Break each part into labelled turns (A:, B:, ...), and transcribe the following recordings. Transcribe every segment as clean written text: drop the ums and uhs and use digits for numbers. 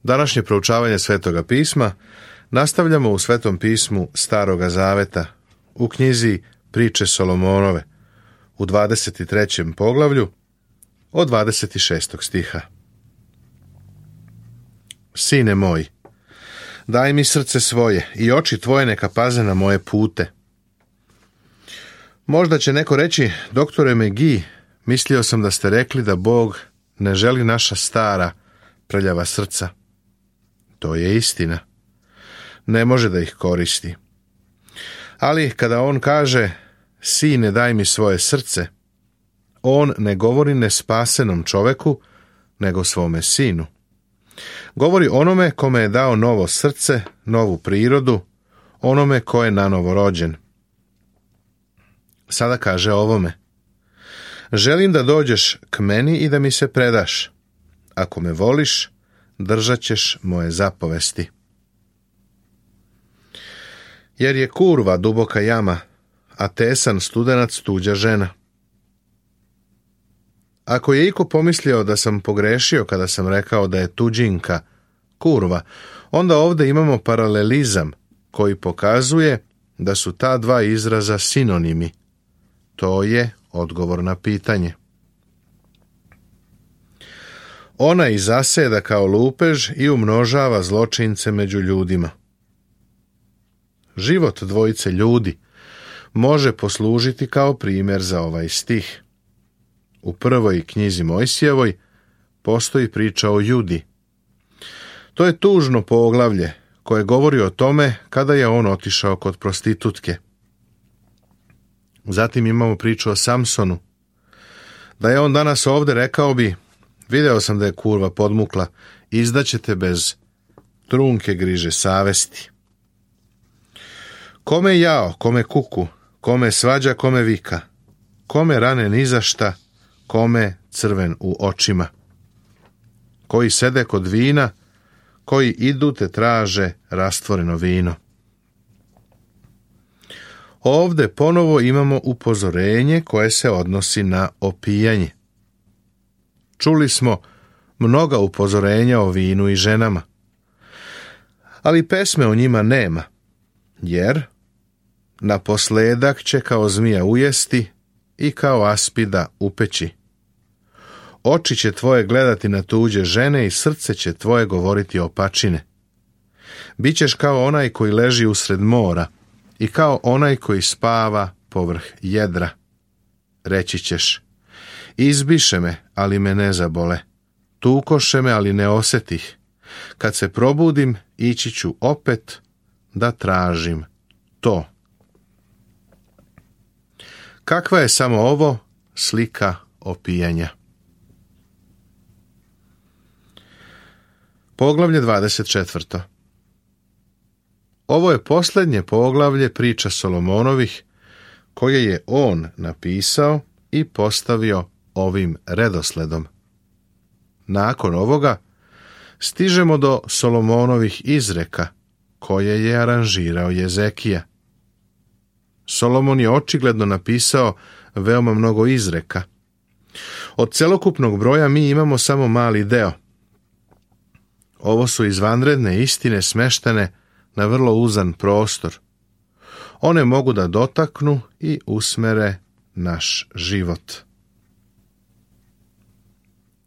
A: Današnje proučavanje Svetoga pisma nastavljamo u Svetom pismu Staroga Zaveta, u knjizi Priče Solomonove, u 23. poglavlju, od 26. stiha. Sine moj, daj mi srce svoje i oči tvoje neka paze na moje pute. Možda će neko reći, doktore McGee, mislio sam da ste rekli da Bog ne želi naša stara, prljava srca. To je istina. Ne može da ih koristi. Ali kada on kaže, sine daj mi svoje srce, on ne govori nespasenom čoveku, nego svome sinu. Govori onome kome je dao novo srce, novu prirodu, onome ko je nanovo rođen. Sada kaže ovome, želim da dođeš k meni i da mi se predaš. Ako me voliš, držat ćeš moje zapovesti. Jer je kurva duboka jama, a tesan studenac tuđa žena. Ako je iko pomislio da sam pogrešio kada sam rekao da je tuđinka kurva, onda ovdje imamo paralelizam koji pokazuje da su ta dva izraza sinonimi. To je odgovor na pitanje. Ona i zaseda kao lupež i umnožava zločince među ljudima. Život dvojice ljudi može poslužiti kao primjer za ovaj stih. U prvoj knjizi Mojsijevoj postoji priča o Judi. To je tužno poglavlje koje govori o tome kada je on otišao kod prostitutke. Zatim imamo priču o Samsonu. Da je on danas ovdje, rekao bi, video sam da je kurva podmukla, izdaćete bez trunke griže savesti. Kome jao, kome kuku, kome svađa, kome vika, kome rane nizašta, kome crven u očima. Koji sede kod vina, koji idu te traže rastvoreno vino. Ovdje ponovo imamo upozorenje koje se odnosi na opijanje. Čuli smo mnoga upozorenja o vinu i ženama, ali pesme o njima nema, jer naposledak će kao zmija ujesti i kao aspida upeći. Oči će tvoje gledati na tuđe žene i srce će tvoje govoriti opačine. Bićeš kao onaj koji leži usred mora i kao onaj koji spava povrh jedra. Reći ćeš, izbiše me, ali me ne zabole. Tukoše me, ali ne osjetih. Kad se probudim, ići ću opet da tražim to. Kakva je samo ovo slika opijanja? Poglavlje 24. Ovo je posljednje poglavlje priča Solomonovih koje je on napisao i postavio ovim redosledom. Nakon ovoga stižemo do Solomonovih izreka koje je aranžirao Jezekija. Solomon je očigledno napisao veoma mnogo izreka. Od celokupnog broja mi imamo samo mali deo. Ovo su izvanredne istine smeštene na vrlo uzan prostor. One mogu da dotaknu i usmere naš život.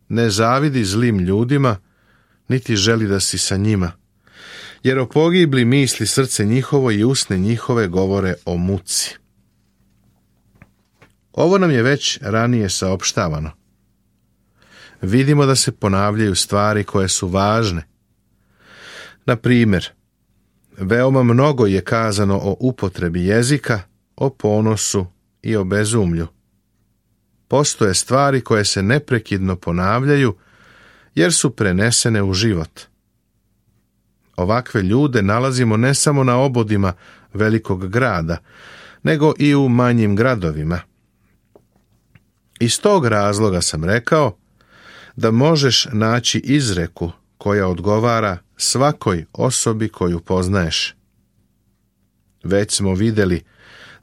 A: Ne zavidi zlim ljudima, niti želi da si sa njima, jer o pogibli misli srce njihovo i usne njihove govore o muci. Ovo nam je već ranije saopštavano. Vidimo da se ponavljaju stvari koje su važne. Na primjer, veoma mnogo je kazano o upotrebi jezika, o ponosu i o bezumlju. Postoje stvari koje se neprekidno ponavljaju jer su prenesene u život. Ovakve ljude nalazimo ne samo na obodima velikog grada, nego i u manjim gradovima. Iz tog razloga sam rekao da možeš naći izreku koja odgovara svakoj osobi koju poznaješ. Već smo vidjeli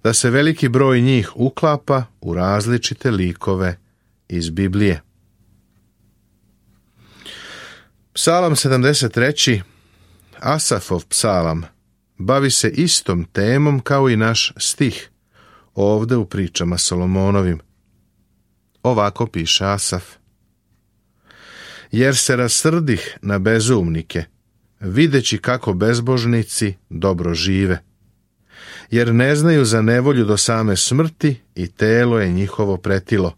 A: da se veliki broj njih uklapa u različite likove iz Biblije. Psalam 73. Asafov psalam bavi se istom temom kao i naš stih ovde u pričama Solomonovim. Ovako piše Asaf: jer se rasrdih na bezumnike, videći kako bezbožnici dobro žive, jer ne znaju za nevolju do same smrti i telo je njihovo pretilo.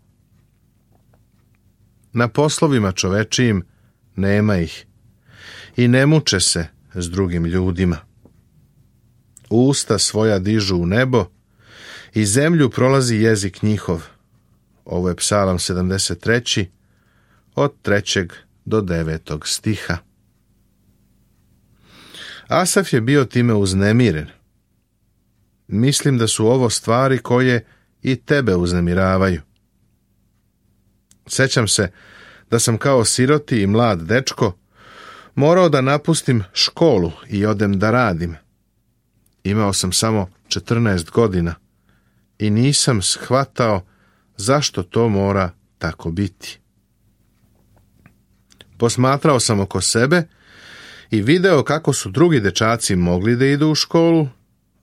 A: Na poslovima čovečijim nema ih i ne muče se s drugim ljudima. Usta svoja dižu u nebo i zemlju prolazi jezik njihov. Ovo je Psalam 73. od 3. do 9. stiha. Asaf je bio time uznemiren. Mislim da su ovo stvari koje i tebe uznemiravaju. Sećam se da sam kao siroti i mlad dečko morao da napustim školu i odem da radim. Imao sam samo 14 godina i nisam shvatao zašto to mora tako biti. Posmatrao sam oko sebe i video kako su drugi dečaci mogli da idu u školu,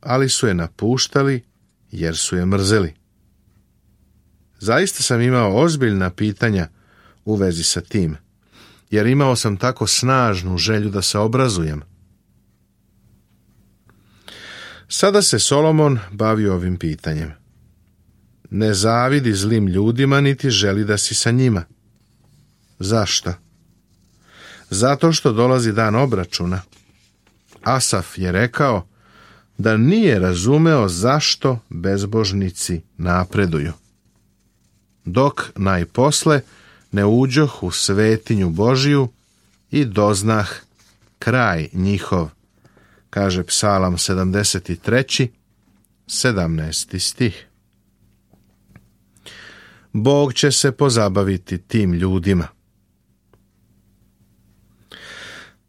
A: ali su je napuštali jer su je mrzeli. Zaista sam imao ozbiljna pitanja u vezi sa tim, jer imao sam tako snažnu želju da se obrazujem. Sada se Solomon bavi ovim pitanjem. Ne zavidi zlim ljudima, niti želi da si sa njima. Zašto? Zato što dolazi dan obračuna. Asaf je rekao da nije razumeo zašto bezbožnici napreduju, dok najposle ne uđoh u svetinju Božiju i doznah kraj njihov, kaže Psalam 73. 17. stih. Bog će se pozabaviti tim ljudima.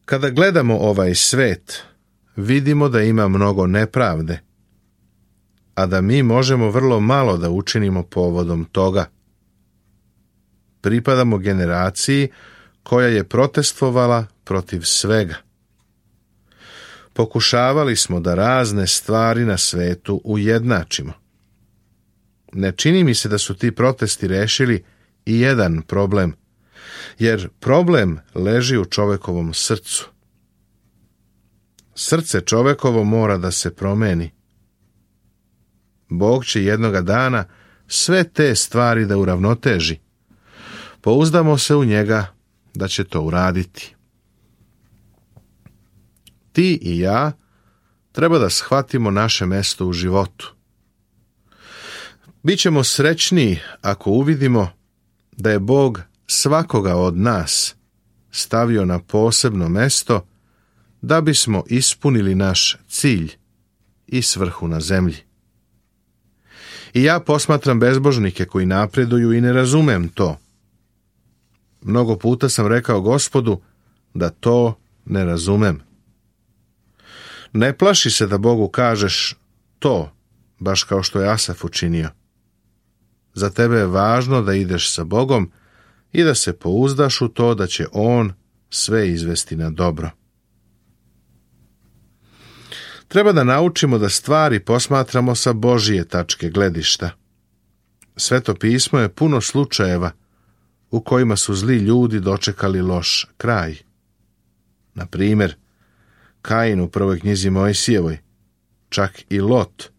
A: Kada gledamo ovaj svet, vidimo da ima mnogo nepravde, a da mi možemo vrlo malo da učinimo povodom toga. Pripadamo generaciji koja je protestvovala protiv svega. Pokušavali smo da razne stvari na svetu ujednačimo. Ne čini mi se da su ti protesti rešili i jedan problem, jer problem leži u čovekovom srcu. Srce čovekovo mora da se promeni. Bog će jednoga dana sve te stvari da uravnoteži. Pouzdamo se u njega da će to uraditi. Ti i ja treba da shvatimo naše mesto u životu. Bićemo srećniji ako uvidimo da je Bog svakoga od nas stavio na posebno mesto da bismo ispunili naš cilj i svrhu na zemlji. I ja posmatram bezbožnike koji napreduju i ne razumem to. Mnogo puta sam rekao Gospodu da to ne razumem. Ne plaši se da Bogu kažeš to, baš kao što je Asaf učinio. Za tebe je važno da ideš sa Bogom i da se pouzdaš u to da će On sve izvesti na dobro. Treba da naučimo da stvari posmatramo sa Božije tačke gledišta. Sveto pismo je puno slučajeva u kojima su zli ljudi dočekali loš kraj. Na primjer, Kain u prvoj knjizi Mojsijevoj, čak i Lot,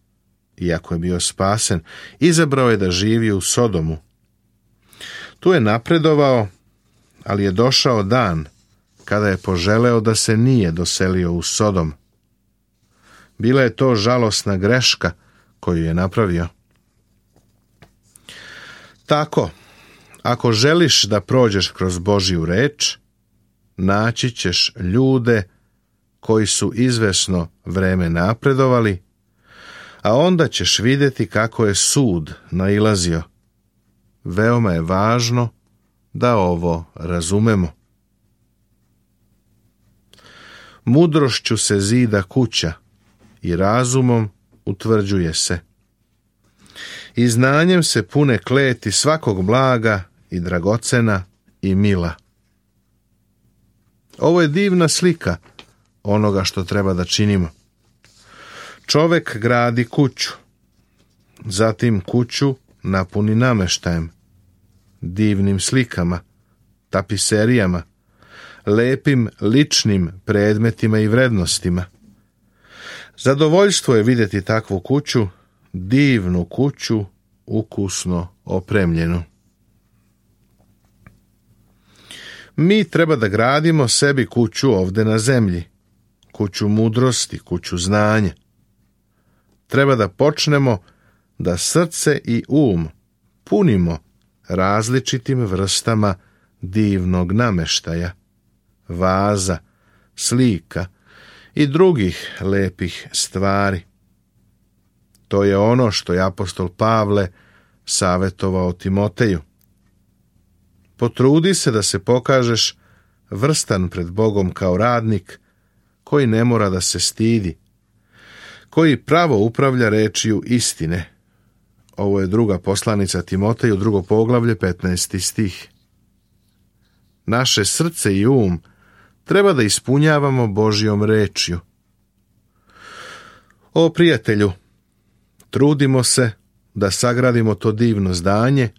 A: iako je bio spasen, izabrao je da živi u Sodomu. Tu je napredovao, ali je došao dan kada je poželeo da se nije doselio u Sodom. Bila je to žalosna greška koju je napravio. Tako, ako želiš da prođeš kroz Božju reč, naći ćeš ljude koji su izvesno vreme napredovali, a onda ćeš vidjeti kako je sud nailazio. Veoma je važno da ovo razumemo. Mudrošću se zida kuća i razumom utvrđuje se. I znanjem se pune kleti svakog blaga i dragocena i mila. Ovo je divna slika onoga što treba da činimo. Čovek gradi kuću, zatim kuću napuni nameštajem, divnim slikama, tapiserijama, lepim ličnim predmetima i vrednostima. Zadovoljstvo je vidjeti takvu kuću, divnu kuću, ukusno opremljenu. Mi treba da gradimo sebi kuću ovde na zemlji, kuću mudrosti, kuću znanja. Treba da počnemo da srce i um punimo različitim vrstama divnog nameštaja, vaza, slika i drugih lepih stvari. To je ono što je apostol Pavle savjetovao Timoteju. Potrudi se da se pokažeš vrstan pred Bogom kao radnik, koji ne mora da se stidi, koji pravo upravlja rečju istine. Ovo je druga poslanica Timoteju, 2. poglavlje, 15. stih. Naše srce i um treba da ispunjavamo Božjom rečju. O prijatelju, trudimo se da sagradimo to divno zdanje,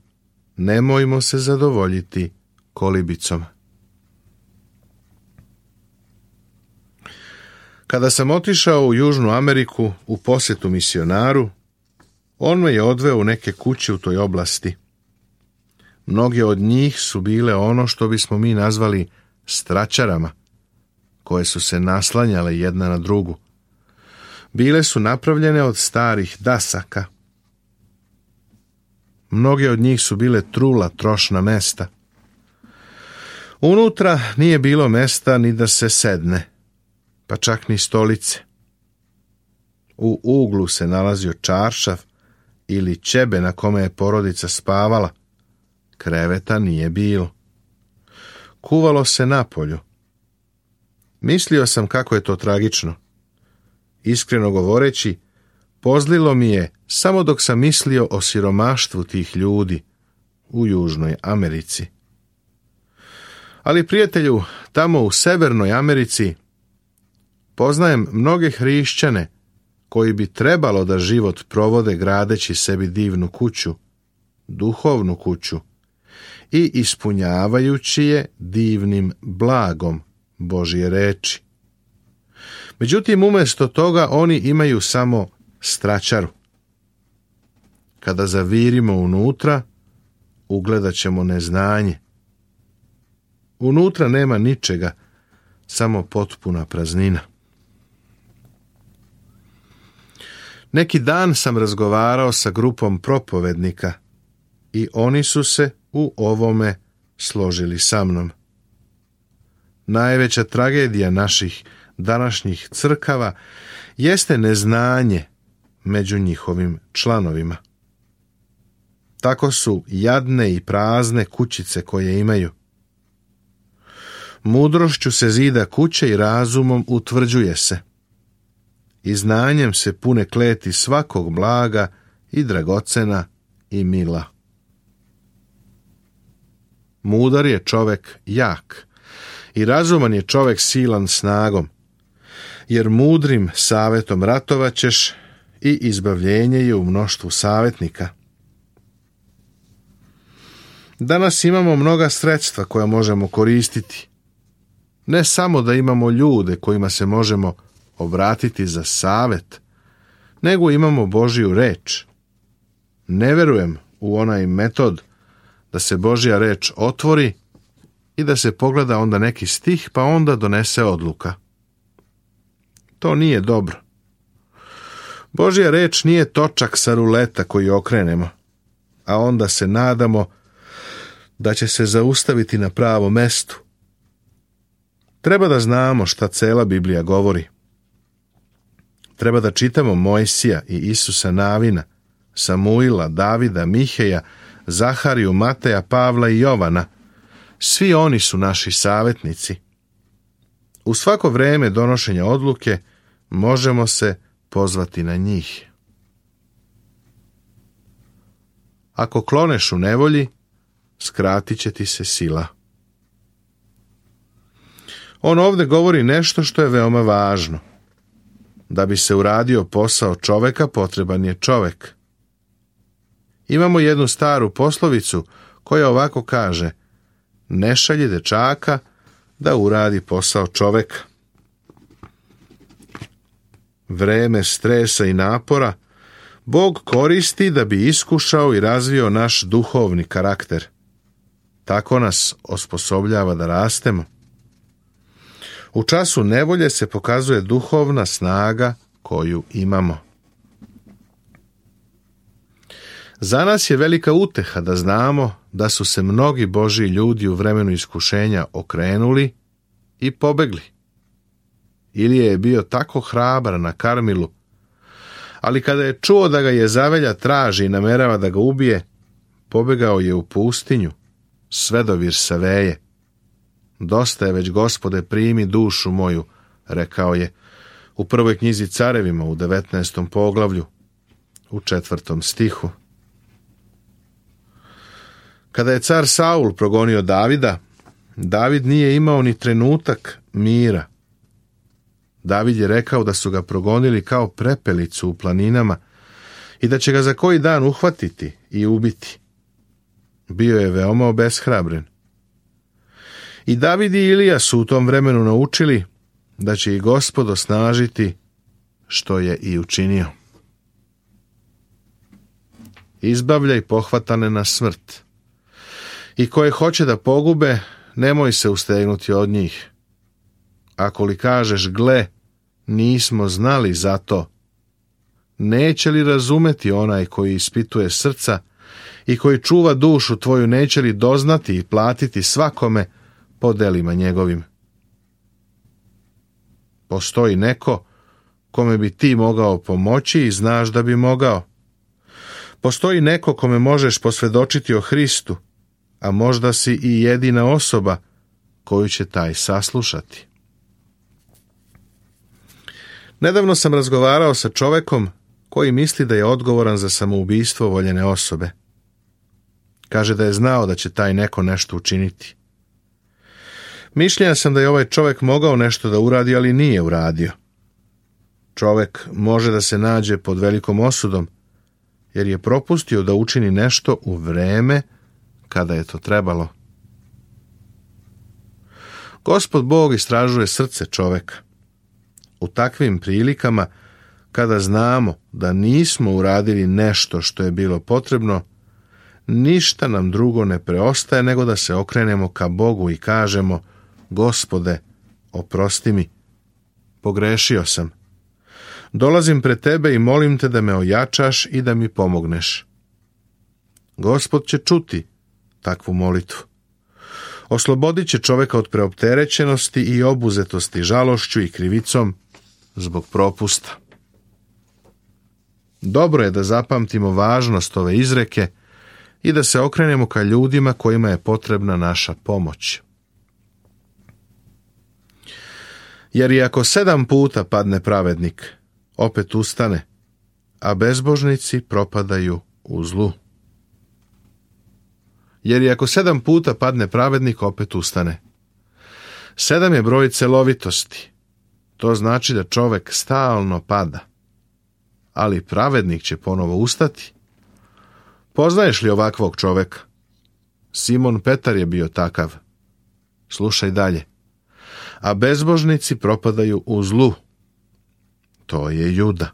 A: nemojmo se zadovoljiti kolibicom. Kada sam otišao u Južnu Ameriku u posjetu misionaru, on me je odveo u neke kuće u toj oblasti. Mnoge od njih su bile ono što bismo mi nazvali straćarama, koje su se naslanjale jedna na drugu. Bile su napravljene od starih dasaka. Mnoge od njih su bile trula, trošna mesta. Unutra nije bilo mesta ni da se sedne, pa čak ni stolice. U uglu se nalazio čaršav ili ćebe na kome je porodica spavala. Kreveta nije bilo. Kuvalo se napolju. Mislio sam kako je to tragično. Iskreno govoreći, pozlilo mi je samo dok sam mislio o siromaštvu tih ljudi u Južnoj Americi. Ali prijatelju, tamo u Severnoj Americi poznajem mnoge hrišćane koji bi trebalo da život provode gradeći sebi divnu kuću, duhovnu kuću, i ispunjavajući je divnim blagom Božje reči. Međutim, umjesto toga oni imaju samo straćaru. Kada zavirimo unutra, ugledat ćemo neznanje. Unutra nema ničega, samo potpuna praznina. Neki dan sam razgovarao sa grupom propovednika i oni su se u ovome složili sa mnom. Najveća tragedija naših današnjih crkava jeste neznanje među njihovim članovima. Tako su jadne i prazne kućice koje imaju. Mudrošću se zida kuće i razumom utvrđuje se. I znanjem se pune kleti svakog blaga i dragocena i mila. Mudar je čovek jak i razuman je čovek silan snagom, jer mudrim savjetom ratovaćeš i izbavljenje je u mnoštvu savjetnika. Danas imamo mnoga sredstva koja možemo koristiti. Ne samo da imamo ljude kojima se možemo obratiti za savjet, nego imamo Božju reč. Ne verujem u onaj metod da se Božja reč otvori i da se pogleda onda neki stih pa onda donese odluka. To nije dobro. Božja reč nije točak sa ruleta koji okrenemo, a onda se nadamo da će se zaustaviti na pravom mestu. Treba da znamo šta cela Biblija govori. Treba da čitamo Mojsija i Isusa Navina, Samuila, Davida, Miheja, Zahariju, Mateja, Pavla i Jovana. Svi oni su naši savjetnici. U svako vreme donošenja odluke možemo se pozvati na njih. Ako kloneš u nevolji, skratit će ti se sila. On ovdje govori nešto što je veoma važno. Da bi se uradio posao čoveka, potreban je čovek. Imamo jednu staru poslovicu koja ovako kaže: ne šalji dečaka da uradi posao čoveka. Vreme stresa i napora Bog koristi da bi iskušao i razvio naš duhovni karakter. Tako nas osposobljava da rastemo. U času nevolje se pokazuje duhovna snaga koju imamo. Za nas je velika uteha da znamo da su se mnogi Božji ljudi u vremenu iskušenja okrenuli i pobegli. Ilija je bio tako hrabar na Karmilu, ali kada je čuo da ga Jezavelja traži i namerava da ga ubije, pobegao je u pustinju, sve do Virsaveje. Dosta je već, Gospode, primi dušu moju, rekao je u prvoj knjizi Carevima u 19. poglavlju, u 4. stihu. Kada je car Saul progonio Davida, David nije imao ni trenutak mira. David je rekao da su ga progonili kao prepelicu u planinama i da će ga za koji dan uhvatiti i ubiti. Bio je veoma obeshrabren. I David i Ilija su u tom vremenu naučili da će ih Gospod osnažiti, što je i učinio. Izbavljaj pohvatane na smrt. I koje hoće da pogube, nemoj se ustegnuti od njih. Ako li kažeš, gle, nismo znali za to, neće li razumeti onaj koji ispituje srca i koji čuva dušu tvoju, neće li doznati i platiti svakome po delima njegovim? Postoji neko kome bi ti mogao pomoći i znaš da bi mogao. Postoji neko kome možeš posvjedočiti o Hristu, a možda si i jedina osoba koju će taj saslušati. Nedavno sam razgovarao sa čovekom koji misli da je odgovoran za samoubistvo voljene osobe. Kaže da je znao da će taj neko nešto učiniti. Mišljenja sam da je ovaj čovjek mogao nešto da uradi, ali nije uradio. Čovjek može da se nađe pod velikom osudom, jer je propustio da učini nešto u vreme kada je to trebalo. Gospod Bog istražuje srce čoveka. U takvim prilikama, kada znamo da nismo uradili nešto što je bilo potrebno, ništa nam drugo ne preostaje nego da se okrenemo ka Bogu i kažemo: Gospode, oprosti mi, pogrešio sam. Dolazim pred tebe i molim te da me ojačaš i da mi pomogneš. Gospod će čuti takvu molitvu. Oslobodit će čoveka od preopterećenosti i obuzetosti žalošću i krivicom zbog propusta. Dobro je da zapamtimo važnost ove izreke i da se okrenemo ka ljudima kojima je potrebna naša pomoć. Jer i ako 7 puta padne pravednik, opet ustane, a bezbožnici propadaju u zlu. Jer i ako 7 puta padne pravednik, opet ustane. 7 je broj celovitosti. To znači da čovek stalno pada. Ali pravednik će ponovo ustati. Poznaješ li ovakvog čoveka? Simon Petar je bio takav. Slušaj dalje. A bezbožnici propadaju u zlu. To je Juda.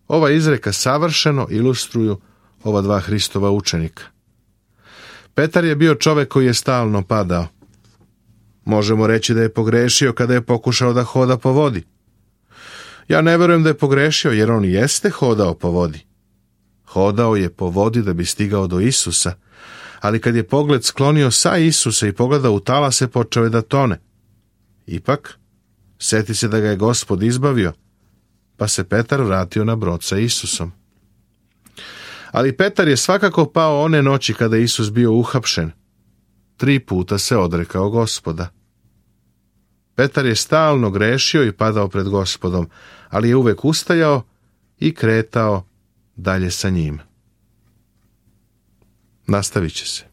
A: Ova izreka savršeno ilustruju ova dva Hristova učenika. Petar je bio čovek koji je stalno padao. Možemo reći da je pogrešio kada je pokušao da hoda po vodi. Ja ne verujem da je pogrešio, jer on jeste hodao po vodi. Hodao je po vodi da bi stigao do Isusa, ali kad je pogled sklonio sa Isusa i pogledao u talase, počeo je da tone. Ipak, seti se da ga je Gospod izbavio, pa se Petar vratio na brod sa Isusom. Ali Petar je svakako pao one noći kada je Isus bio uhapšen. 3 puta se odrekao Gospoda. Petar je stalno grešio i padao pred Gospodom, ali je uvek ustajao i kretao dalje sa njim. Nastavit će se.